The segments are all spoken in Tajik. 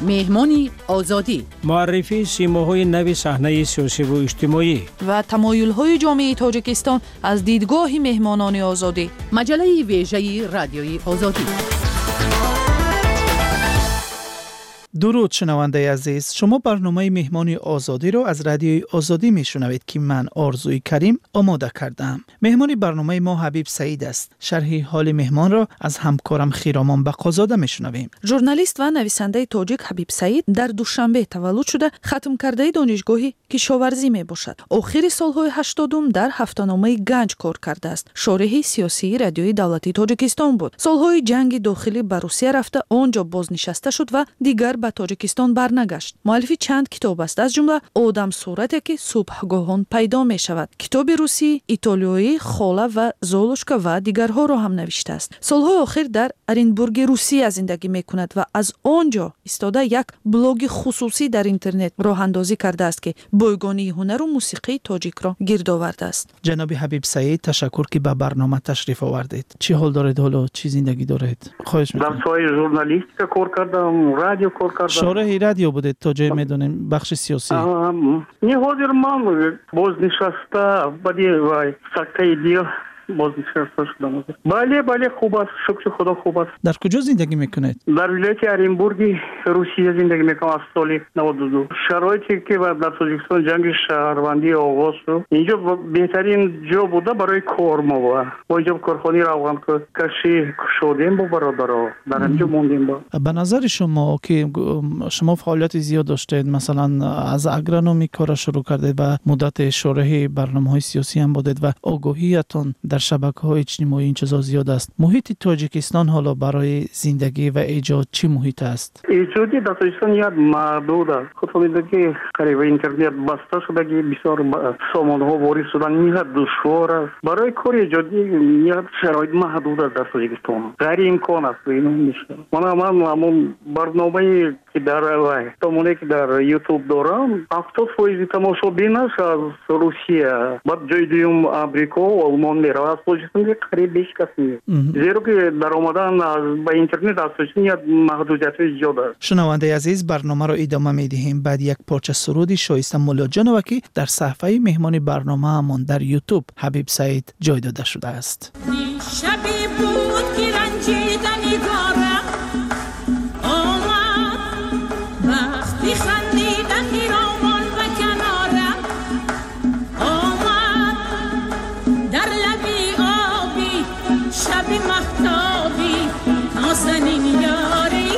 Меҳмони Озодӣ. Муаррифии симоҳои нави саҳнаи сиёсиву иҷтимоӣ ва тамоюлҳои ҷомеаи Тоҷикистон аз дидгоҳи меҳмонони Озодӣ. Маҷаллаи вежаи Радиои Озодӣ. Дуруд, шунавандаи азиз. Шумо барномаи Меҳмони Озодиро аз Радиои Озодӣ мешунавед, ки ман, Орзуи Карим, омода кардаам. Меҳмони барномаи мо Ҳабиб Саид аст. Шарҳи ҳоли меҳмонро аз ҳамкорам Хиромон Бақозода мешунавем. Журналист ва нависандаи тоҷик Ҳабиб Саид дар Душанбе таваллуд шуда, хатмкардаи донишгоҳи кишоварзӣ мебошад. Охири солҳои 80-ум дар ҳафтаномаи Ганҷ кор кардааст. Шореҳи сиёсии Радиои давлатии Тоҷикистон буд. Солҳои ҷанги дохилӣ ба Русия рафта, он ҷо бознишаста шуд ва дигар ба Тоҷикистон барнагашт. Муаллифи чанд китоб аст, аз ҷумла Одамсурате, ки субҳгоҳон пайдо мешавад, китоби русӣ, итолиёӣ Хола ва Золушка ва дигарҳоро ҳам навиштааст. Солҳои охир дар Оренбурги Русия зиндагӣ мекунад ва аз он ҷо истода як блоги хусусӣ дар интернет роҳандозӣ кардааст, ки бойгонии ҳунару мусиқии тоҷикро гирд овардааст. Ҷаноби Ҳабиб Саид, ташаккур, ки ба барнома ташриф овардед. Чӣ ҳол доред ҳоло? Чӣ зиндагӣ доред? Хоҳиш Дар соҳаи журналистика кор кардам, радио кор кардам. Шореҳи радио будед, то ҷое медонем, бахши сиёсӣ. Не, ҳозир ман бознишаста, баъди вай сактаи дил бознишаста шудам. Бале, хуб аст, шукри Худо, хуб аст. Дар куҷо зиндагӣ мекунед? Дар вилояти Оренбурги Русия зиндагӣ мекунам аз соли 92. Шароите ки дар Тоҷикистон ҷанги шаҳрвандӣ оғоз шуд, инҷо беҳтарин ҷо буда барои кор. Мо бо инҷо корхонаи равғанкашӣ кушодем бо бародаро, дар ҳаминҷо мондем. Ба назари шумо, ки шумо фаъолияти зиёд доштед, масалан, аз агрономӣ кора шурӯъ кардед ва муддати шореҳи барномаҳои сиёсӣ ҳам будед ва огоҳиятон дар шабакаҳои иҷтимоӣ ин чизо зиёд аст, муҳити Тоҷикистон ҳоло барои зиндагӣ ва эҷод чӣ муҳит аст? Эҷодӣ дар Тоҷикистон як маҳдуд аст. Худтон медонед, ки қариб интернет баста шудагӣ, бисёр сомонаҳо ворид шудан ниҳоят душвор аст. Барои кори эҷодӣ ниҳоят шароит маҳдуд аст дар Тоҷикистон, ғайриимкон аст. Мана ман ҳамон барномае, ки дар сомонае, ки дар Ютуб дорам, 70 фоизи тамошобинаш аз Русия, баъд ҷои дуюм Амрико, Олмон меравад. Аз Тоҷикистон қариб ҳеҷ кас нест, зеро ки даромадан ба интернет аз Тоҷикистон як маҳдудиятҳои зиёд аст. Шунавандаи азиз, барномаро идома медиҳем баъд як порча суруди Шоиста Муллоҷонова, ки дар саҳфаи меҳмони барномаамон дар Ютуб Ҳабиб Саид ҷой дода шудааст. Шабе буд, ки ранҷида нигорам омад, вақти хандида хиромон ба канорам омад, дар лаби обӣ, шаби маҳтобӣ, нозанин ёрӣ,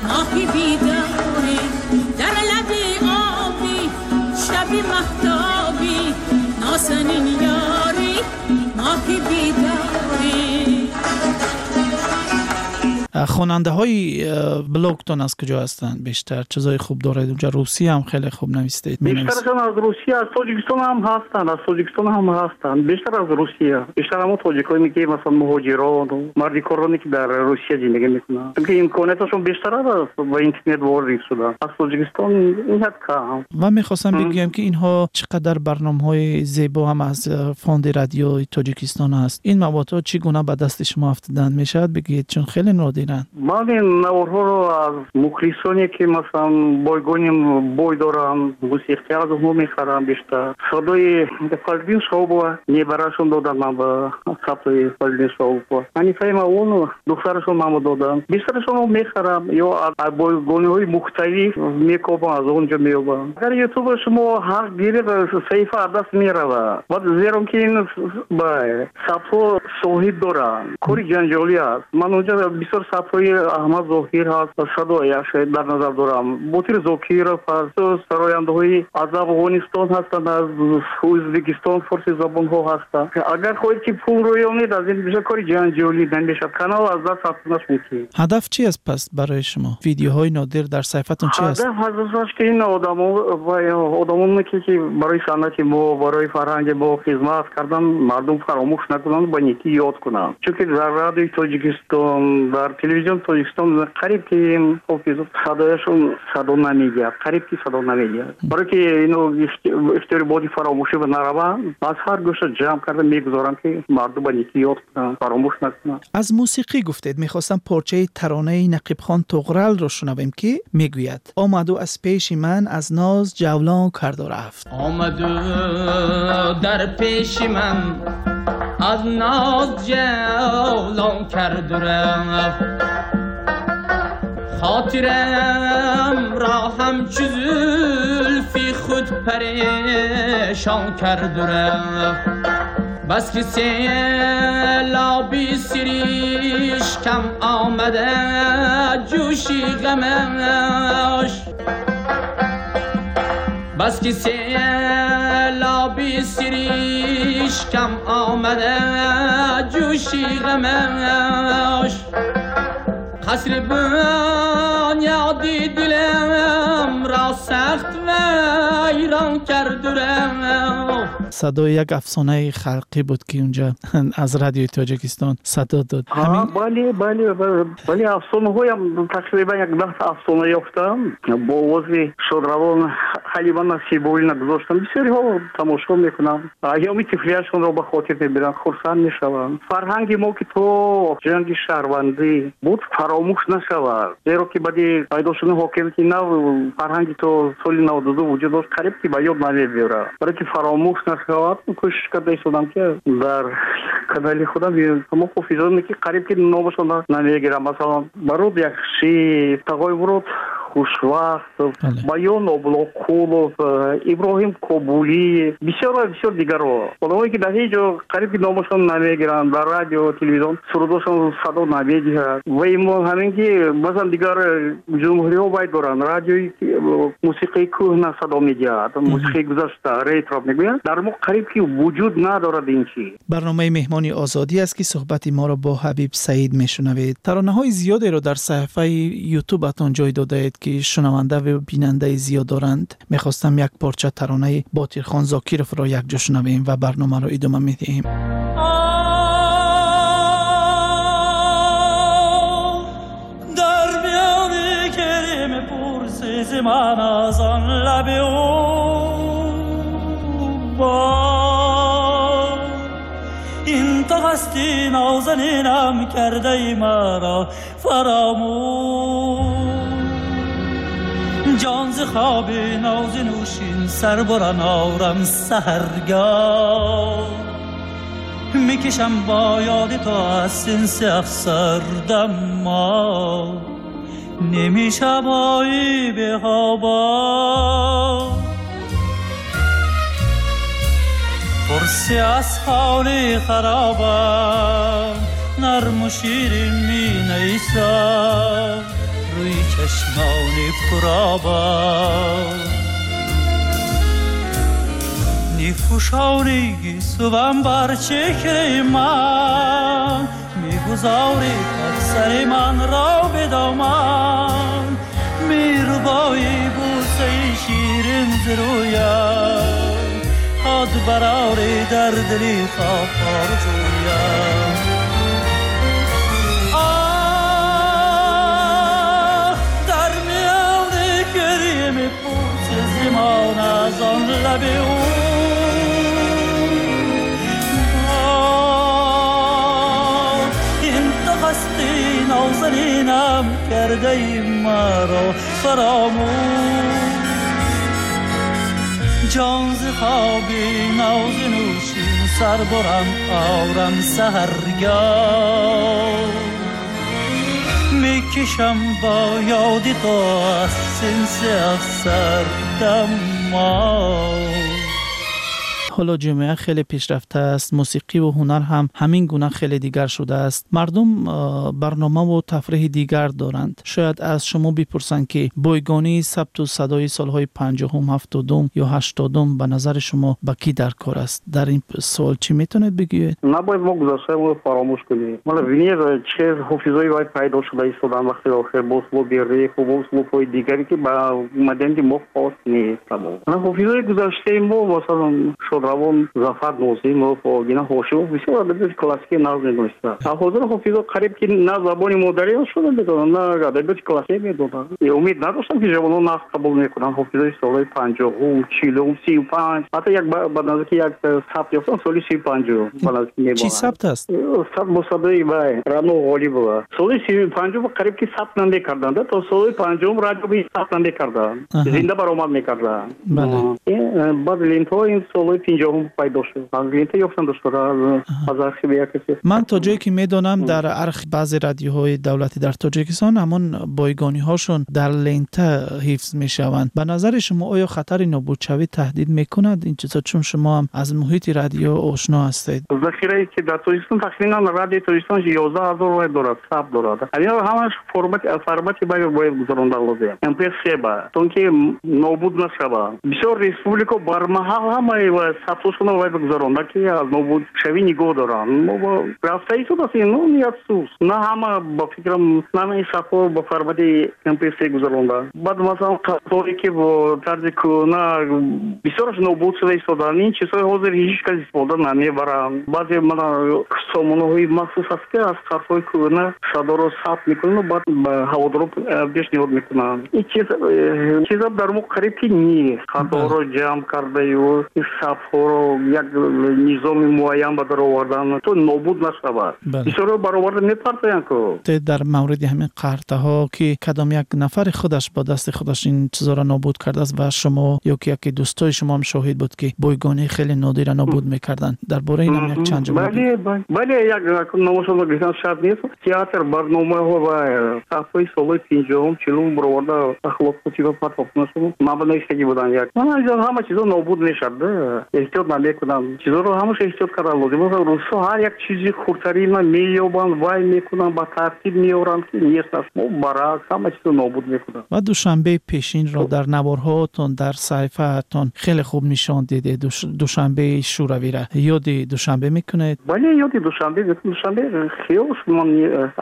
моҳи бедорӣ, дар лаби обӣ, шаби маҳтобӣ, нозанин ёрӣ, моҳи бедорӣ. Хонандаҳои блогтон аз куҷо ҳастанд бештар? Чизои хуб доред унҷа, русӣ ҳам хеле хуб навистед. Бештарашон аз Русия, аз Тоҷикистон ҳам ҳастанд, аз Тоҷикистон ҳам ҳастанд, бештар аз Русия. Бештар ҳамон тоҷиконе, ки масалан муҳоҷирон, мардикороне, ки дар Русия зиндагӣ мекунанд, чунки имконияташон бештар аст ба интернет ворид шудан. Аз Тоҷикистон ниҳоят кам. Ва мехостам бигӯям, ки инҳо чӣ қадар барномаҳои зебо ҳам аз фонди Радиои Тоҷикистон аст. Ин маводҳо чӣ гуна ба дасти шумо афтиданд, мешавад бигӯед? Чун хеле нодиранд. Ман ин наворҳоро аз мухлисоне, ки масалан бойгони бой доранд, мусиқӣ аз онҳо мехарам бештар. Садои Фазлиддин Шаҳобова небарашон доданд ман ба сабтои Фазлиддин Шаҳобова, Ҳанифаи Мавлонова духтарашон манро доданд. Бештарашон мехарам ё аз бойгониҳои мухталиф мекобам, аз он ҷо меёбам. Агар Ютуба шумо ҳақ гиред, саҳифа аз даст меравад, баъд зеро ки ин сабтҳо соҳиб доранд, кори ҷанҷолӣ аст. Ман онҷо бисёр сабтҳои Аҳмад Зоҳир ҳаст, садояш дар назар дорам, Ботир Зокиров ҳаст, сарояндаҳои аз Афғонистон ҳастанд, аз Ӯзбекистон, форси забонҳо ҳастанд. Агар хоҳед, ки пул рӯёнед, аз ин бисёр кори ҷанҷолӣ намешавад, канал аз даст рафтанаш мумкин. Ҳадаф чи аст пас барои шумо? Видеоҳои нодир дар саҳифатон чи аст? Ҳадаф аз ки ин одамо, ки барои санъати мо, барои фарҳанги мо хизмат кардан, мардум фаромӯш накунанд, ба некӣ ёд кунанд, чунки дар Радиои Тоҷикистон, дар Телевизион Тоҷикистон қариб ки ҳофиз садояшон садо намедиҳад, қариб ки садо намедиҳад. Барои ки ино ихтиёри боди фаромӯшӣ ба нараванд, аз ҳар гӯша ҷамъ карда мегузорам, ки мардум ба некӣ ёд кунанд, фаромӯш накунанд. Аз мусиқӣ гуфтед, мехостам порчаи таронаи Нақибхон Туғралро шунавем, ки мегӯяд: омаду аз пеши ман аз ноз ҷавлон карду рафт. Омаду дар пеши ман аз ноз ҷавлон карду рафт, хотирам ро ҳамчу зулфи худ парешон карду рафт. Бас ки селоби сиришкам омада ҷӯши ғамаш, бас ки селоби сиришкам омада ҷӯши ғамаш, қасри бунёди дилам ро сахт вайрон карду рафт. Садои як афсонаи халқӣ буд, ки унҷа аз радиои Тоҷикистон садо дод. Бале, бале, бале, афсонаҳоям тақрибан як 10 афсона ёфтам, бо овози шодравон Ҳалима Насибуллина гузоштам. Бисёриҳо тамошо мекунанд, айёми тифлияшонро ба хотир мебиранд, хурсанд мешаванд. Фарҳанги мо, ки то ҷанги шаҳрвандӣ буд, фаромӯш нашавад, зеро ки баъди пайдо шудани ҳокимияти нав фарҳанги то соли 92 вуҷуд дошт, қариб ки ба ёд намебиёрад. Барои ки фаромӯш нашавад, кӯшиш карда истодам, ки дар канали худам ҳамо ҳофизоне, ки қариб ки номашон намегирам, масалан Барод Яхшиев, Тағои Мурод Хушвақт, Баён Облоқулов, Иброҳим Кобулӣ, бисёр ва бисёр дигарро, одамое ки дар ҳеҷ ҷо қариб ки номашон намегиранд, дар радио, телевизион сурудошон садо намедиҳад. Ва имо ҳамин ки масалан дигар ҷумҳуриҳо вай доранд, радиои мусиқии кӯҳна садо медиҳад, мусиқии гузашта, ретро мегӯянд, дар мо қариб ки вуҷуд надорад ин чиз. Барномаи Меҳмони Озодӣ аст, ки суҳбати моро бо Ҳабиб Саид мешунавед. Таронаҳои зиёдеро дар саҳифаи Ютубатон ҷой додаед, ки шунаванда ва бинандаи зиёд доранд. Мехостам як порча таронаи Ботирхон Зокировро якҷо шунавем ва барномаро идома медиҳем. Дар миёни гирӣ мепурсӣ зи ман аз он лаби ӯ боз, ин ту ҳастӣ нозанинам кардаи маро фаромӯш. Ҷон зи хоби нози нӯшин сар буран орам саҳаргоҳ, мекашам бо ёди ту аз синси афсардам мо, намешавои беҳобо. پرسی از حال خرابم، نرم و شیرین می نیسم، روی چشمان پرآبم، نیفوشانی گیسوم بر چهره من، میگذاری سر من را به دامن، میربایی بوسه شیرین ز رویم، هاد براری در دلی خواب آرزویم. آه در میان گریه میپرسی ز من از آن لب او، این تو هستی نازنینم کرده ای مرا فراموش. جان ز خوابی ناز نوشین سر برم آرم سحرگاه، میکشم با یاد تو از سنس افسردم ما. ҳоло ҷомеа хеле пешрафта аст, мусиқӣ ва ҳунар ҳам ҳамин гуна хеле дигар шудааст. Мардум барномаву тафриҳи дигар доранд. Шояд аз шумо бипурсанд, ки бойгонии сабту садои солҳои 50-ум, 70-ум ё 80-ум ба назари шумо ба кӣ дар кор аст? Дар ин суол чӣ метавонед бигӯед? Набояд мо гузаштаро фаромӯш кунем. Мана бинед, че ҳофизои вай пайдо шуда истодан вақти охир, бо услуби реп бо услубҳои дигаре, ки ба маданияти мо хос нест. Ҳофизои гузаштаи мо, масалан, шод шодравон Зафар Нозимов, Огина Ҳошимов бисёр адабиёти классикӣ нағз медонистанд. Ҳозир ҳофизо қариб ки на забони модарӣ шуда медонанд, на адабиёти классикӣ медонанд. Умед надоштам, ки ҷавонон нағз қабул мекунанд ҳофизои солҳои 50-ум, 40-ум, 35. Ҳатто як ба наздики як сабт ёфтам, соли 35-ум ба наздики мебонанд. Чӣ сабт аст? Сабт бо садои вай Рано Ғолибова. Соли 35-ум қариб ки сабт намекарданд, то соли 50-ум радио сабт намекарданд, зинда баромад мекарданд. Баъд лентаҳо ин солҳои 50-ум пайдо шуд. Аз лента ёфтам дошта аз архиви як касе. Ман то ҷое ки медонам, дар баъзе радиоҳои давлатӣ дар Тоҷикистон ҳамон бойгониҳошон дар лента ҳифз мешаванд. Ба назари шумо оё хатари нобудшавӣ таҳдид мекунад ин чизҳо, чун шумо ҳам аз муҳити радио ошно ҳастед? Захирае ки дар Тоҷикистон тахминан радиои Тоҷикистон 11 000 вай дорад, сабт дорад. Ҳамин ҳамаш формати бояд гузаронда лозим, MP3 ба, то ки нобуд нашавад. Бисёр республика бармаҳал ҳамаи сабтҳошона вай гузаронда, ки аз нобудшавӣ нигоҳ доранд. Рафта истодааст, ну ният сус на ҳама, ба фикрам, на ҳамаи сабтҳо ба формати MP3 гузаронда. Баъд масалан қаторе ки бо тарзи кӯҳна бисёраш нобуд шуда истодаанд. Ин чизҳои ҳозир ҳеҷ кас истифода намебаранд. Баъзе мана сомонаҳои махсус аст, ки аз ҳарфҳои кӯҳна садоро сабт мекунанд, баъд ба ҳаводоро пешниҳод мекунанд. Ин чиза дар мо қариб ки нест. Садоро ҷамъ кардаю сабтҳоро як низоми муайян ба дар овардан, то нобуд нашавад. Бисёро бароварда мепартоянд ку. Дар мавриди ҳамин қартаҳо, ки кадом як нафари худаш бо дасти худаш ин чизоро нобуд кардааст ва шумо ё ки яке дӯстои шумо ҳам шоҳид буд, ки бойгонии хеле нодира нобуд мекарданд, дар бораи ин ҳам як чанд ҷумла. Бале, як номошонро гирифтан шарт нест. Театр барномаҳо ва сафҳои солҳои 50-ум, 40-ум бароварда ахлоқутиба партофтанашон ман навиштагӣ буданд. Як ҳама чизо нобуд мешавад, эҳтиёт намекунанд. Чизоро ҳамаша эҳтиёт кардан лозим. Русҳо ҳар як чизи хурдтарина меёбанд, вай мекунанд, ба тартиб меоранд, ки нест аст. Мо баръакс, ҳама чизо нобуд мекунанд. Ва Душанбеи пешинро дар наворҳоатон, дар саҳифаатон хеле хуб нишон дидед, Душанбеи шӯравира. Ёди Душанбе мекунед? Бале, ёди Душанбе мекунам. Душанбе хиёл ман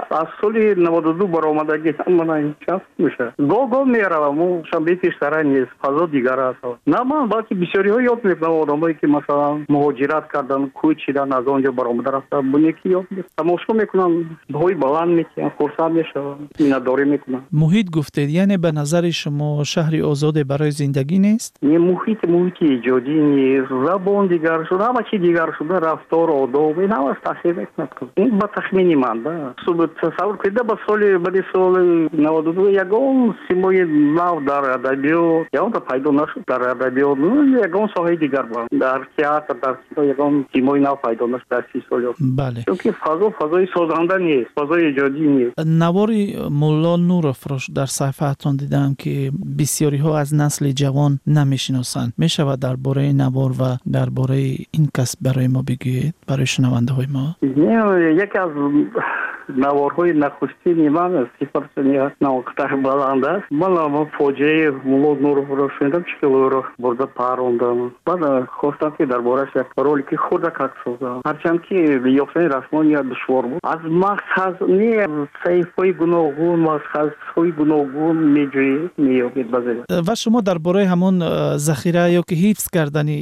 аз соли 92 баромадагӣ, мана чанд мешавад, гоҳ гоҳ меравам. Душанбеи пештара нест, фазо дигар аст. На ман, балки бисёриҳо ёд мекунам, одамое ки масалан муҳоҷират карданд, кӯчидан, аз он ҷо баромада рафта, бунеки ёд тамошо мекунанд, баҳои баланд мекунанд, хурсанд мешаванд, миннатдорӣ мекунанд. Муҳит гуфтед, яъне ба назари шумо шаҳри озоде барои зиндагӣ нест? Не, муҳит, муҳити эҷодӣ нест. Забон дигар шуда, ҳама чи дигар шуда, рафтор, одоб, ин ҳамаш таъсир мекунад. Ин ба тахмини ман да. Тасаввур кунед, ба соли баъди соли 92 ягон симои нав дар адабиёт ягонта пайдо нашуд. Дар адабиёт, ягон соҳаи дигар, дар театр, дар кино ягон симои нав пайдо нашуд дар 30 соли. Чунки фазо фазои созанда нест, фазои эҷодӣ нест. Навори Мулло Нуровро дар саҳифаатон дидам, ки бисёриҳо аз насли ҷавон намешиносанд. Мешавад дар бораи навор ва дар бораи ин кас барои мо бигӯед, барои шунавандаҳои мо? Яке аз наворҳои нахустини ман, сифаташ баланд аст. Ман фоҷиаи Мулло Нуровро шунидам, чӣ хел ӯро бурда парондам. Баъд хостам, ки дар борааш як ролики хурдакак созам, ҳарчанд ки ёфтани расмон душвор буд. Аз махз не, саҳифаҳои гуногун, махзҳои гуногун меҷӯед, меёбед баъзе. Ва шумо дар бораи ҳамон захира ё ки ҳифз кардани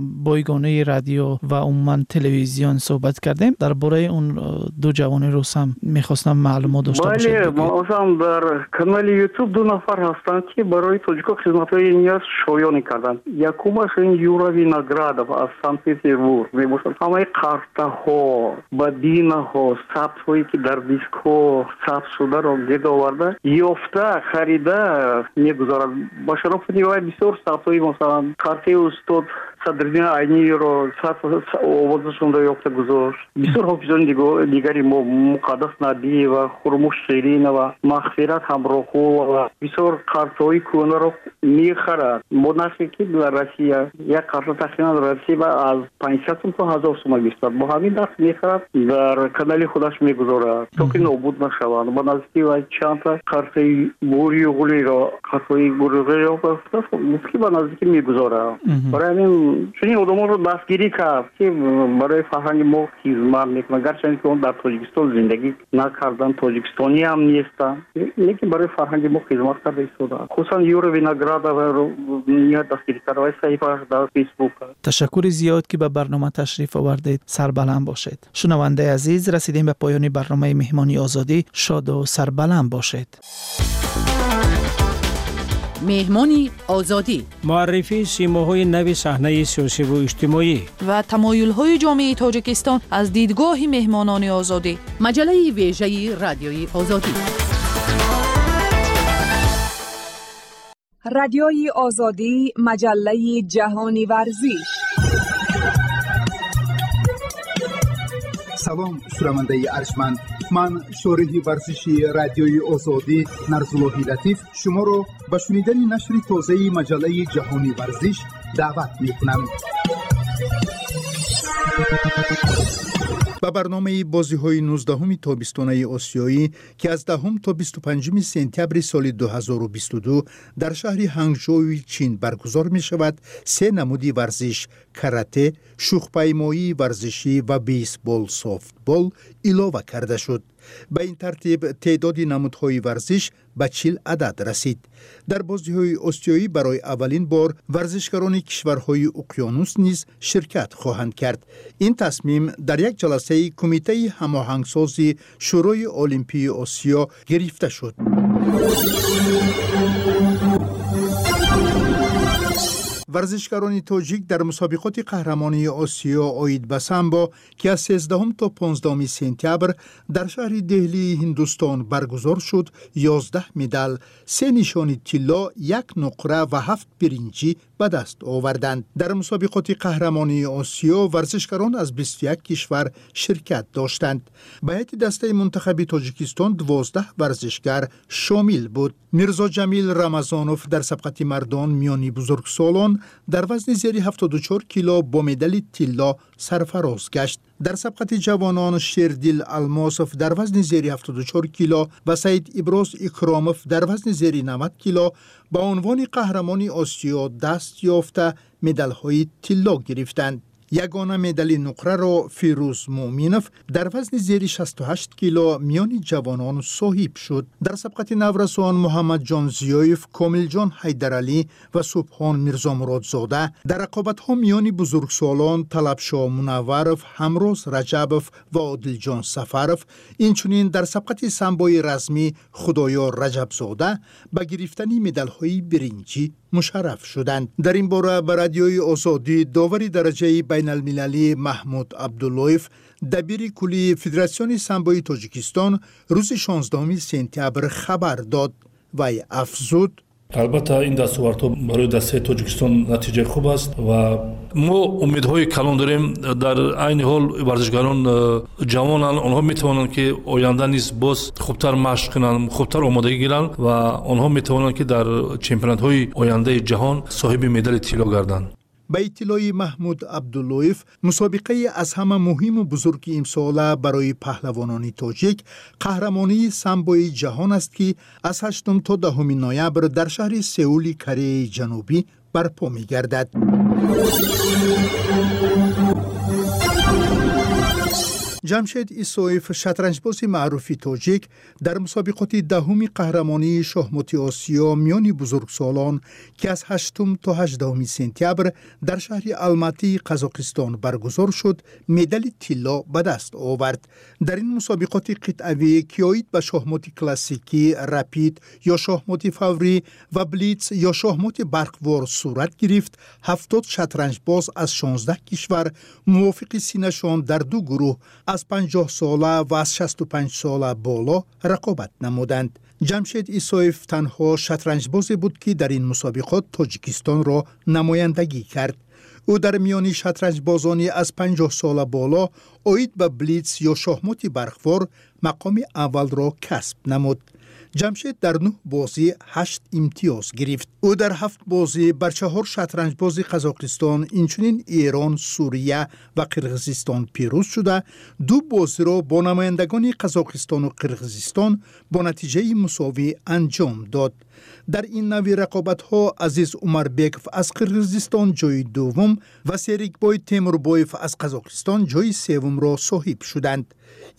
бойгонаи радио ва умуман телевизион суҳбат кардем. Дар бораи он ду ҷавони рус ҳам мехостам маълумот дошта бошед. Бале, масалан дар канали Ютуб ду нафар ҳастанд, ки барои тоҷико хизматҳои ниёз шоёнӣ карданд. Якумаш ин Юра Виноградов аз Санкт Петербург мебошад. Ҳамаи қартаҳо, бобинаҳо, сабтҳое ки дар дискҳо сабт шударо гирд оварда, ёфта, харида мегузорад. Ба шарофати вай бисёр сабтҳои, масалан қартаи устод Садриддин Айниро овозашонро ёфта гузошт. Бисёр ҳофизони дигари мо, Муқаддас Набиева, Хурмуш Ширинова, Мағфират Ҳамроҳулова, бисёр қартҳои кӯҳнаро мехарад бо нархе ки дар Россия як қарта тахминан Россия аз 500 сум то 1000 сума гирифтад. Бо ҳамин нарх мехарад, дар канали худаш мегузорад, то ки нобуд нашаванд. Ба наздики вай чандта қартаи Бурюғулиро, қартҳои Бурюғулиро гуфт, ки ба наздикӣ мегузорад. Барои ҳамин Чунин одамонро дастгирӣ кард, ки барои фарҳанги мо хизмат мекунанд, гарчанде ки он дар Тоҷикистон зиндагӣ накарданд, тоҷикистонӣ ҳам нестанд, лекин барои фарҳанги мо хизмат карда истодаанд. Хусусан Юра Виноградоваро ниҳоят дастгирӣ карда, вай саҳифааш дар Фейсбук. Ташаккури зиёд, ки ба барнома ташриф овардед. Сарбаланд бошед. Шунавандаи азиз, расидем ба поёни барномаи Меҳмони Озодӣ. Шоду сарбаланд бошед. Меҳмони Озодӣ. Муаррифии симоҳои нави саҳнаи сиёсиву иҷтимоӣ ва тамоюлҳои ҷомеаи Тоҷикистон аз дидгоҳи меҳмонони Озодӣ. Маҷаллаи вежаи Радиои Озодӣ. Радиои Озодӣ, маҷаллаи ҷаҳони варзиш. Салом, шунавандаи арҷманд. Ман, шориҳи варзиши Радиои Озодӣ Нарзуллоҳи Латиф, шуморо ба шунидани нашри тозаи маҷаллаи ҷаҳони варзиш даъват мекунам. Ба барномаи бозиҳои 19-уми тобистонаи осиёӣ, ки аз 10 то 25 сентябри соли 2022 дар шаҳри Ҳангжоуи Чин баргузор мешавад, се намуди варзиш: карате, шӯхпаймоии варзишӣ ва бейсбол софтбол илова карда шуд. Ба ин тартиб теъдоди намудҳои варзиш ба 40 адад расид. Дар бозиҳои осиёӣ барои аввалин бор варзишгарони кишварҳои уқёнус низ ширкат хоҳанд кард. Ин тасмим дар як ҷаласаи Кумитаи ҳамоҳангсози Шӯрои Олимпии Осиё гирифта шуд. Варзишгарони тоҷик дар мусобиқоти қаҳрамонии Осиё оид ба самбо, ки аз 13 то 15 сентябр дар шаҳри Деҳлии Ҳиндустон баргузор шуд, 11 медал, се нишони тилло, як нуқра ва ҳафт биринҷӣ ба даст оварданд. Дар мусобиқоти қаҳрамонии Осиё варзишгарон аз 21 кишвар ширкат доштанд. Ба ҳайати дастаи мунтахаби Тоҷикистон 12 варзишгар шомил буд. Мирзоҷамил Рамазонов дар сабқати мардон миёни бузургсолон дар вазни зери 74 кило бо медали тилло сарфароз гашт. Дар сабқати ҷавонон Шердил Алмосов дар вазни зери 74 кило ва Саид Иброз Икромов дар вазни зери 90 кило ба унвони қаҳрамони Осиё даст ёфта медалҳои тилло гирифтанд. Ягона медали нуқраро Фирӯз Муъминов дар вазни зери 68 кило миёни ҷавонон соҳиб шуд. Дар сабқати наврасон Муҳаммадҷон Зиёев, Комилҷон Ҳайдаралӣ ва Субҳон Мирзомуродзода, дар рақобатҳо миёни бузургсолон Талабшо Мунавваров, Ҳамроз Раҷабов ва Одилҷон Сафаров, инчунин дар сабқати самбои размӣ Худоёр Раҷабзода ба гирифтани медалҳои биринҷӣ мушарраф шуданд. Дар ин бора ба Радиои Озодӣ довари дараҷаи байналмилалӣ Маҳмуд Абдуллоев, дабири куллии Федератсиони самбои Тоҷикистон, рӯзи 16 сентябр хабар дод. Вай афзуд: Албатта, ин дастовардҳо барои дастаи Тоҷикистон натиҷаи хуб аст ва мо умедҳои калон дорем. Дар айни ҳол варзишгарон ҷавонанд, онҳо метавонанд, ки оянда низ боз хубтар машқ кунанд, хубтар омодагӣ гиранд ва онҳо метавонанд, ки дар чемпионатҳои ояндаи ҷаҳон соҳиби медали тилло гарданд. Ба иттилои Маҳмуд Абдуллоев, мусобиқаи аз ҳама муҳиму бузурги имсола барои паҳлавонони тоҷик қаҳрамонии самбои ҷаҳон аст, ки аз 8 то 10 ноябр дар шаҳри Сеули Кореяи Ҷанубӣ барпо мегардад. Ҷамшед Исоев, шатранҷбози маъруфи тоҷик, дар мусобиқоти 10-уми қаҳрамонии шоҳмоти Осиё миёни бузургсолон, ки аз 8 то 18 сентябр дар шаҳри Алматии Қазоқистон баргузор шуд, медали тилло ба даст овард. Дар ин мусобиқоти қитъавӣ, ки оид ба шоҳмоти классикӣ, рапид ё шоҳмоти фаврӣ ва блиц ё шоҳмоти барқвор сурат гирифт, 70 шатранҷбоз аз 16 кишвар мувофиқи синнашон дар ду гурӯҳ аз 50 сола ва аз 65 сола боло рақобат намуданд. Ҷамшед Исоев танҳо шатранҷбозе буд, ки дар ин мусобиқот Тоҷикистонро намояндагӣ кард. Ӯ дар миёни шатранҷбозони аз 50 сола боло оид ба блиц ё шоҳмоти барқвор мақоми аввалро касб намуд. Ҷамшед дар 9 бозӣ 8 имтиёз гирифт. Ӯ дар 7 бозӣ бар 4 шатранҷбози Қазоқистон, инчунин Эрон, Сурия ва Қирғизистон пирӯз шуда, 2 бозиро бо намояндагони Қазоқистону Қирғизистон бо натиҷаи мусовӣ анҷом дод. Дар ин навъи рақобатҳо Азиз Умарбеков аз Қирғизистон ҷои дуввум ва Серикбой Темурбоев аз Қазоқистон ҷои севумро соҳиб шуданд.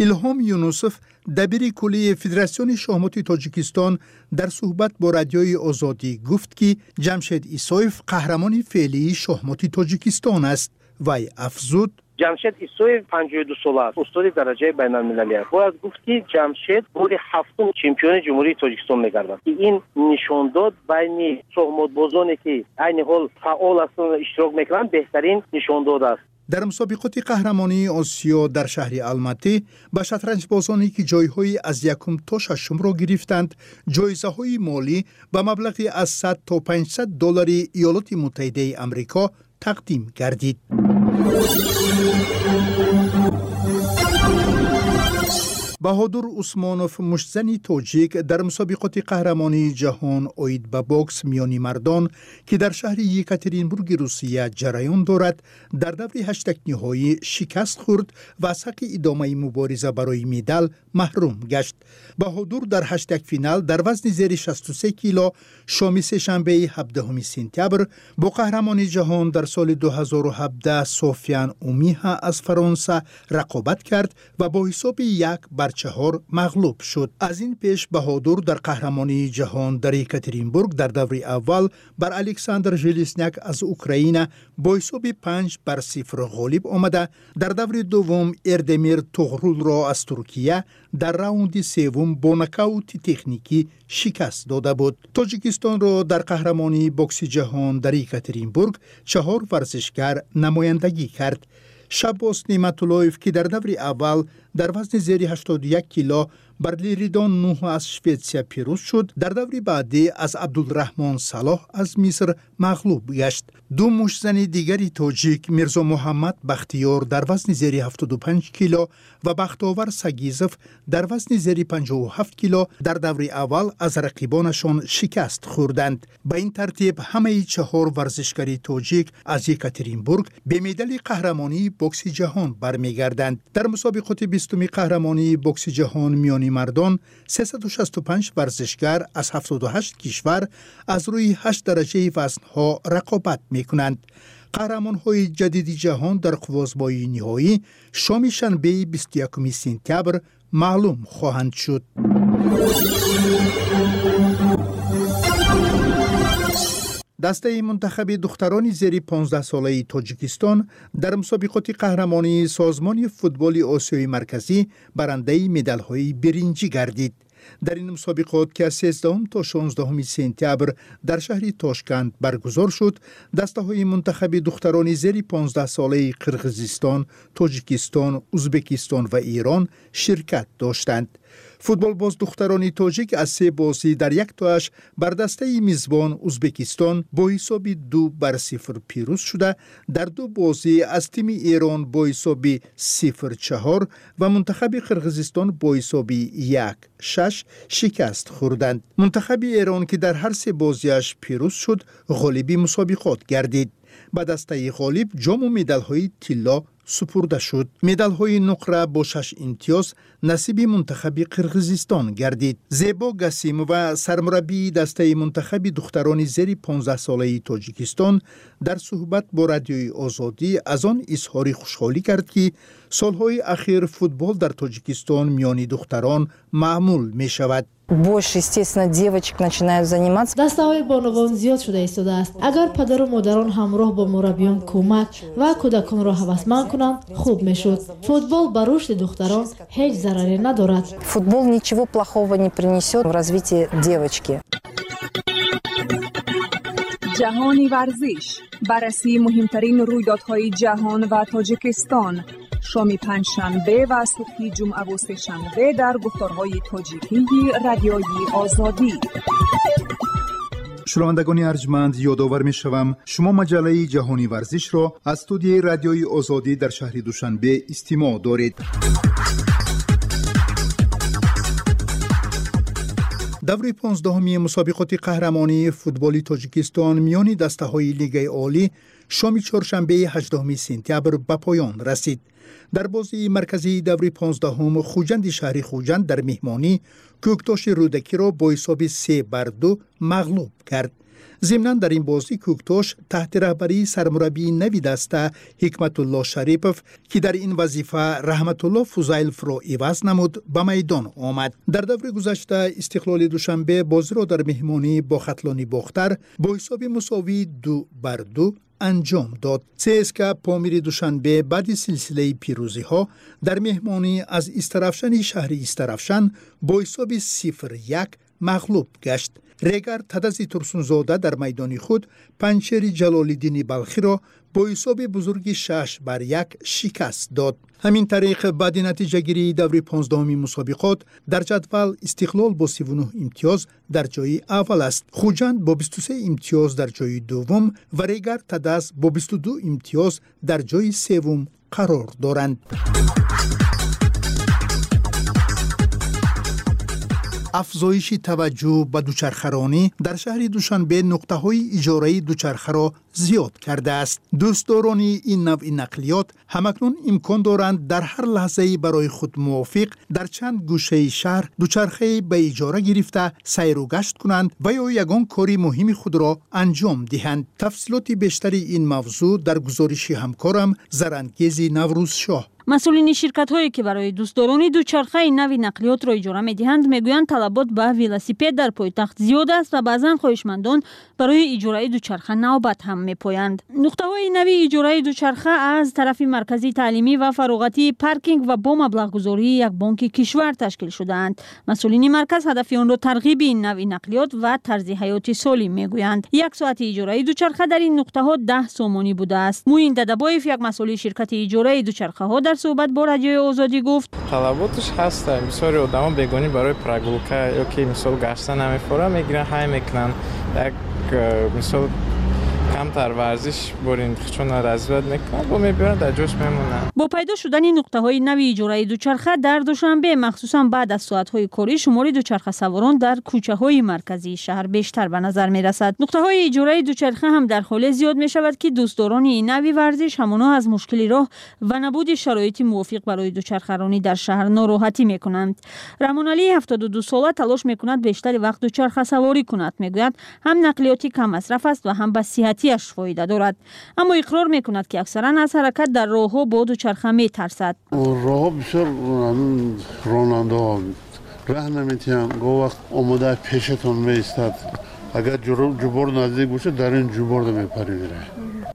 Илҳом Юнусов, дабири куллии Федератсиони шоҳмоти Тоҷикистон, дар суҳбат бо Радиои Озодӣ гуфт, ки Ҷамшед Исоев қаҳрамони феълии шоҳмоти Тоҷикистон аст. Вай афзуд: Ҷамшед Исоев 52 сола аст, устоди дараҷаи байналмилалӣ аст. Бояд гуфт, ки Ҷамшед бори ҳафтум чемпиони Ҷумҳурии Тоҷикистон мегардад, ки ин нишондод байни шоҳмотбозоне, ки айни ҳол фаъол ҳастанд, иштирок мекунанд, беҳтарин нишондод аст. Дар мусобиқоти қаҳрамонии Осиё дар шаҳри Алматӣ ба шатранҷбозоне, ки ҷойҳои аз якум то шашумро гирифтанд, ҷоизаҳои молӣ ба маблағи аз 100 то 500 доллари Иёлоти Муттаҳидаи Амрико тақдим гардид. Баҳодур Усмонов, муштзани тоҷик, дар мусобиқоти қаҳрамонии ҷаҳон оид ба бокс миёни мардон, ки дар шаҳри Екатеринбурги Русия ҷараён дорад, дар даври ҳаштакниҳоӣ шикаст хӯрд ва аз ҳаққи идомаи мубориза барои медал маҳрум гашт. Баҳодур дар ҳаштакфинал дар вазни зери 63 кило шоми сешанбеи 17 сентябр бо қаҳрамони ҷаҳон дар соли 2017 Софиян Умиҳа аз Фаронса рақобат кард ва бо ҳисоби 1-4 мағлуб шуд. Аз ин пеш Баҳодур дар қаҳрамонии ҷаҳон дар Екатеринбург дар даври аввал бар Александр Желесняк аз Украина бо ҳисоби 5-0 ғолиб омада, дар даври дуввум Эрдемир Туғрулро аз Туркия дар раунди севум бо нокаути техникӣ шикаст дода буд. Тоҷикистонро дар қаҳрамонии бокси ҷаҳон дар Екатеринбург 4 варзишгар намояндагӣ кард. Шаббос Неъматуллоев, ки дар даври аввал дар вазни зери 81 кило бар Лиридон Нуҳ аз Шветсия пирӯз шуд, дар даври баъдӣ аз Абдулраҳмон Салоҳ аз Миср мағлуб гашт. 2 муштзани дигари тоҷик, Мирзо Муҳаммад Бахтиёр дар вазни зери 75 кило ва Бахтовар Сагизов дар вазни зери 57 кило, дар даври аввал аз рақибонашон шикаст хӯрданд. Ба ин тартиб ҳамаи 4 варзишгари тоҷик аз Екатеринбург бе медали қаҳрамонии бокси ҷаҳон бармегарданд. Дар мусобиқоти 20-уми қаҳрамонии бокси ҷаҳон миёни мардон 365 варзишгар аз 78 кишвар аз рӯи 8 дараҷаи вазнҳо рақобат мекунанд. Қаҳрамонҳои ҷадиди ҷаҳон дар қуввозбоии ниҳоӣ шоми шанбеи 21 сентябр маълум хоҳанд шуд. Дастаи мунтахаби духтарони зери 15-солаи Тоҷикистон дар мусобиқоти қаҳрамонии Созмони футболи Осиёи Марказӣ барандаи медалҳои биринҷӣ гардид. Дар ин мусобиқот, ки аз 13 то 16 сентябр дар шаҳри Тошканд баргузор шуд, дастаҳои мунтахаби духтарони зери 15-солаи Қирғизистон, Тоҷикистон, Узбекистон ва Эрон ширкат доштанд. Футболбоз духтарони тоҷик аз 3 бозӣ дар яктоаш бар дастаи мизбон Узбекистон бо ҳисоби 2-0 пирӯз шуда, дар 2 бозӣ аз тими Эрон бо ҳисоби 0-4 ва мунтахаби Қирғизистон бо ҳисоби 1-6 шикаст хӯрданд. Мунтахаби Эрон, ки дар ҳар 3 бозиаш пирӯз шуд, ғолиби мусобиқот гардид. Ба дастаи ғолиб ҷому медалҳои тилло супурда шуд. Медалҳои нуқра бо 6 имтиёз насиби мунтахаби Қирғизистон гардид. Зебо Гасимова, сармураббии дастаи мунтахаби духтарони зери 15-солаи Тоҷикистон, дар суҳбат бо Радиои Озодӣ аз он изҳори хушҳолӣ кард, ки солҳои ахир футбол дар Тоҷикистон миёни духтарон маъмул мешавад. Больше, естественно, девочек начинают заниматься. Дастаҳои бонувон зиёд шуда истодааст. Агар падару модарон ҳамроҳ бо мураббиён кӯмак ва кӯдаконро ҳавасманд кунанд, хуб мешуд. Футбол ба рушди духтарон ҳеҷ зараре надорад. Футбол ничего плохого не принесет в развитии девочки. Ҷаҳони варзиш, баррасии муҳимтарин рӯйдодҳои ҷаҳон ва Тоҷикистон. Шоми панҷшанбе ва субҳи ҷумъаву сешанбе дар гуфторҳои тоҷикии Радиои Озодӣ. Шунавандагони арҷманд, ёдовар мешавам, шумо маҷаллаи ҷаҳони варзишро аз студияи Радиои Озодӣ дар шаҳри Душанбе истимоъ доред. Даври 15-уми мусобиқоти қаҳрамонии футболи Тоҷикистон миёни дастаҳои Лигаи Олӣ шоми чоршанбеи 18 сентябр ба поён расид. Дар бозии марказии даври 15-ум Хуҷанди шаҳри Хуҷанд дар меҳмонӣ Кӯктоши Рӯдакиро бо ҳисоби 3-2 мағлуб кард. Зимнан дар ин бозӣ Кӯктош таҳти раҳбарии сармураббии нави даста Ҳикматулло Шарипов, ки дар ин вазифа Раҳматулло Фузайловро иваз намуд, ба майдон омад. Дар даври гузашта Истиқлоли Душанбе бозиро дар меҳмонӣ бо Хатлони Бохтар бо ҳисоби мусовии 2-2 анҷом дод. ЦСКА Помири Душанбе баъди силсилаи пирӯзиҳо дар меҳмонӣ аз Истаравшани шаҳри Истаравшан бо ҳисоби 0-1 мағлуб гашт. Регар Тадази Турсунзода дар майдони худ Панҷшери Ҷалолиддини Балхиро бо ҳисоби бузурги 6-1 шикаст дод. Ҳамин тариқ, баъди натиҷагирии даври 15-уми мусобиқот дар ҷадвал Истиқлол бо 39 имтиёз дар ҷои аввал аст, Хуҷанд бо 23 имтиёз дар ҷои дуввум ва Регар Тадаз бо 22 имтиёз дар ҷои севум қарор доранд. Афзоиши таваҷҷӯҳ ба дучархаронӣ дар шаҳри Душанбе нуқтаҳои иҷораи дучархаро зиёд кардааст. Дӯстдорони ин навъи нақлиёт ҳамакнун имкон доранд дар ҳар лаҳзаи барои худ мувофиқ дар чанд гӯшаи шаҳр дучархае ба иҷора гирифта сайру гашт кунанд ва ё ягон кори муҳими худро анҷом диҳанд. Тафсилоти бештари ин мавзӯъ дар гузориши ҳамкорам Зарангези Наврӯзшоҳ. Масъулини ширкатҳое, ки барои дӯстдорони дучархаи нави нақлиётро иҷора медиҳанд, мегӯянд, талабот ба велосипед дар пойтахт зиёд аст ва баъзан хоҳишмандон барои иҷораи дучарха навбат ҳам мепоянд. Нуқтаҳои нави иҷораи дучарха аз тарафи маркази таълимӣ ва фароғатии Паркинг ва бо маблағгузории як бонки кишвар ташкил шудаанд. Масъулини марказ ҳадафи онро тарғиби ин навъи нақлиёт ва тарзи ҳаёти солим мегӯянд. Як соати иҷораи дучарха дар ин нуқтаҳо 10 сомонӣ будааст. Муин Дадабоев, як масъули ширкати иҷораи дучархаҳо, дар суҳбат бо Радиои Озодӣ гуфт: талаботаш ҳаст. Бисёри одамо бегонӣ барои прогулка ё ки мисол гашта намефора мегиранд, ҳай мекунанд. Як мисол камтар варзиш бурин чун развият мекунанд, бо мебиёранд, дар ҷош мемонанд. Бо пайдо шудани нуқтаҳои нави иҷораи дучарха дар Душанбе, махсусан баъд аз соатҳои корӣ, шумори дучархасаворон дар кӯчаҳои марказии шаҳр бештар ба назар мерасад. Нуқтаҳои иҷораи дучарха ҳам дар ҳоле зиёд мешавад, ки дӯстдорони ин нави варзиш ҳамоно аз мушкили роҳ ва набуди шароити мувофиқ барои дучархаронӣ дар шаҳр нороҳатӣ мекунанд. Раҳмоналии 72 сола талош мекунад бештари вақт дучархасаворӣ кунад. Мегӯяд, ҳам нақлиёти каммасраф аст ва ҳам ба сиҳатияш фоида дорад. Аммо иқрор мекунад, ки аксаран аз ҳаракат дар роҳҳо бо дучарха метарсад. Роҳҳо бисёр, ронандаҳо раҳ наметиҳанд, гоҳ вақт омода пешатон меистад. Агар ҷубор наздик бошад, дар ин ҷуборда мепарӣ меравад.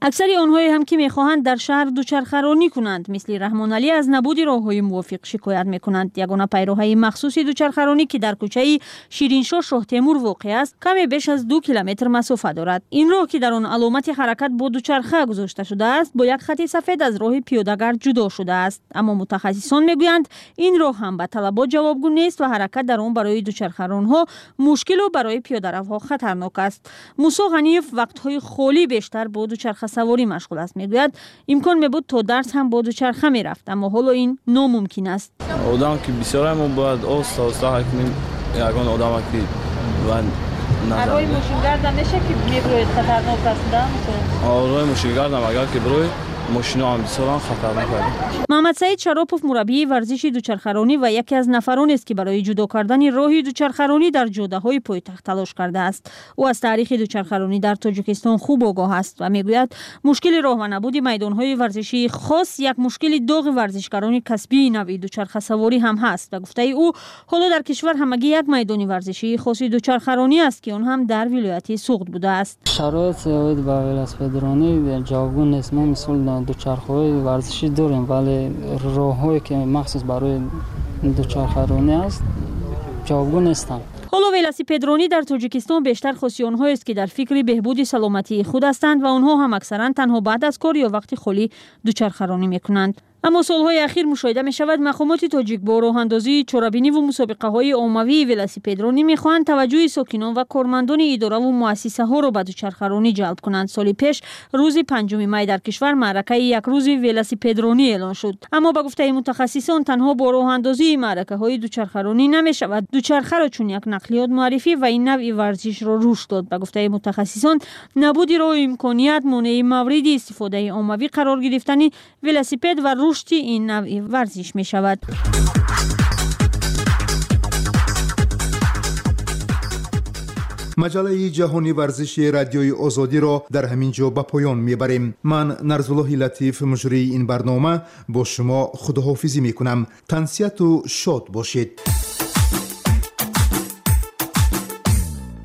Аксари онҳое ҳам, ки мехоҳанд дар шаҳр дучархаронӣ кунанд, мисли Раҳмоналӣ, аз набуди роҳҳои мувофиқ шикоят мекунанд. Ягона пайроҳаи махсуси дучархаронӣ, ки дар кӯчаи Шириншоҳ Шоҳтемур воқеъ аст, каме беш аз 2 километр масофа дорад. Ин роҳ, ки дар он аломати ҳаракат бо дучарха гузошта шудааст, бо як хати сафед аз роҳи пиёдагард ҷудо шудааст. Аммо мутахассисон мегӯянд, ин роҳ ҳам ба талабот ҷавобгӯ нест ва ҳаракат дар он барои дучархаронҳо мушкилу барои пиёдаравҳо хатарнок аст. Мусо Ғаниев вақтҳои холӣ бештар бо дучарха саворӣ машғул аст. Мегӯяд, имкон мебуд то дарс ҳам бо дучарха мерафт, аммо ҳоло ин номумкин аст. Одам ки бисёр, мо бояд оста оста ҳай кунем, ягон одама ки роҳи мошингарда меша ки мебироед, хатарнок аст, да? Роҳи мошингардам агар ки бироед, мошиноам бисёрам хатарнок аст. Маҳмадсаид Шаропов мураббии варзиши дучархаронӣ ва яке аз нафаронест, ки барои ҷудо кардани роҳи дучархаронӣ дар ҷодаҳои пойтахт талош кардааст. Ӯ аз таърихи дучархаронӣ дар Тоҷикистон хуб огоҳ аст ва мегӯяд, мушкили роҳ ва набуди майдонҳои варзишии хос як мушкили доғи варзишгарони касбии навъи дучархасаворӣ ҳам ҳаст. Ба гуфтаи ӯ, ҳоло дар кишвар ҳамагӣ як майдони варзишии хоси дучархаронӣ аст, ки он ҳам дар вилояти Суғд будааст. Шароит оид ба велосипедронӣ ҷавобгӯ нест. Мо мисол дучархаҳои варзишӣ дорем, вале роҳҳое, ки махсус барои дучархаронӣ аст, ҷавобгӯ нестанд. Ҳоло велосипедронӣ дар Тоҷикистон бештар хоси онҳоест, ки дар фикри беҳбуди саломатии худ ҳастанд ва онҳо ҳам аксаран танҳо баъд аз кор ё вақти холӣ дучархаронӣ мекунанд. Аммо солҳои ахир мушоҳида мешавад, мақомоти тоҷик бо роҳандозии чорабиниву мусобиқаҳои оммавии велосипедронӣ мехоҳанд таваҷҷӯҳи сокинон ва кормандони идораву муассисаҳоро ба дучархаронӣ ҷалб кунанд. Соли пеш рӯзи 5 май дар кишвар маъракаи якрӯзи велосипедронӣ эълон шуд. Аммо ба гуфтаи мутахассисон, танҳо бо роҳандозии маъракаҳои дучархаронӣ намешавад дучархаро чун як нақлиёт муаррифӣ ва ин навъи варзишро рушд дод. Ба гуфтаи мутахассисон, набуди роҳу имконият монеи мавриди истифодаи оммавӣ қарор гирифтани велосипед ва рушди ин навъи варзиш мешавад. Маҷаллаи ҷаҳони варзиши Радиои Озодиро дар ҳамин ҷо ба поён мебарем. Ман, Нарзуллоҳи Латиф, муҷрии ин барнома, бо шумо худоҳофизӣ мекунам. Тансиҳату шод бошед.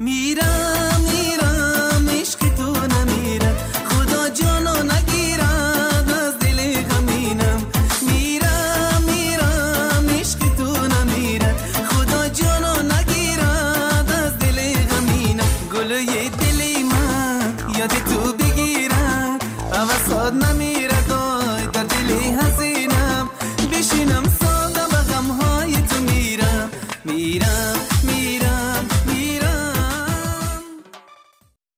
Мирам, мирам, ишқи ту намирад, Худо ҷоно нагирад аз дили ғаминам. Мирам, мирам, ишқи ту намирад, Худо ҷоно нагирад аз дили ғаминам. Гулӯи дили ман ёди ту бигирад, ҳавасот намирад, ой дар дили ҳазинам. Бишинам.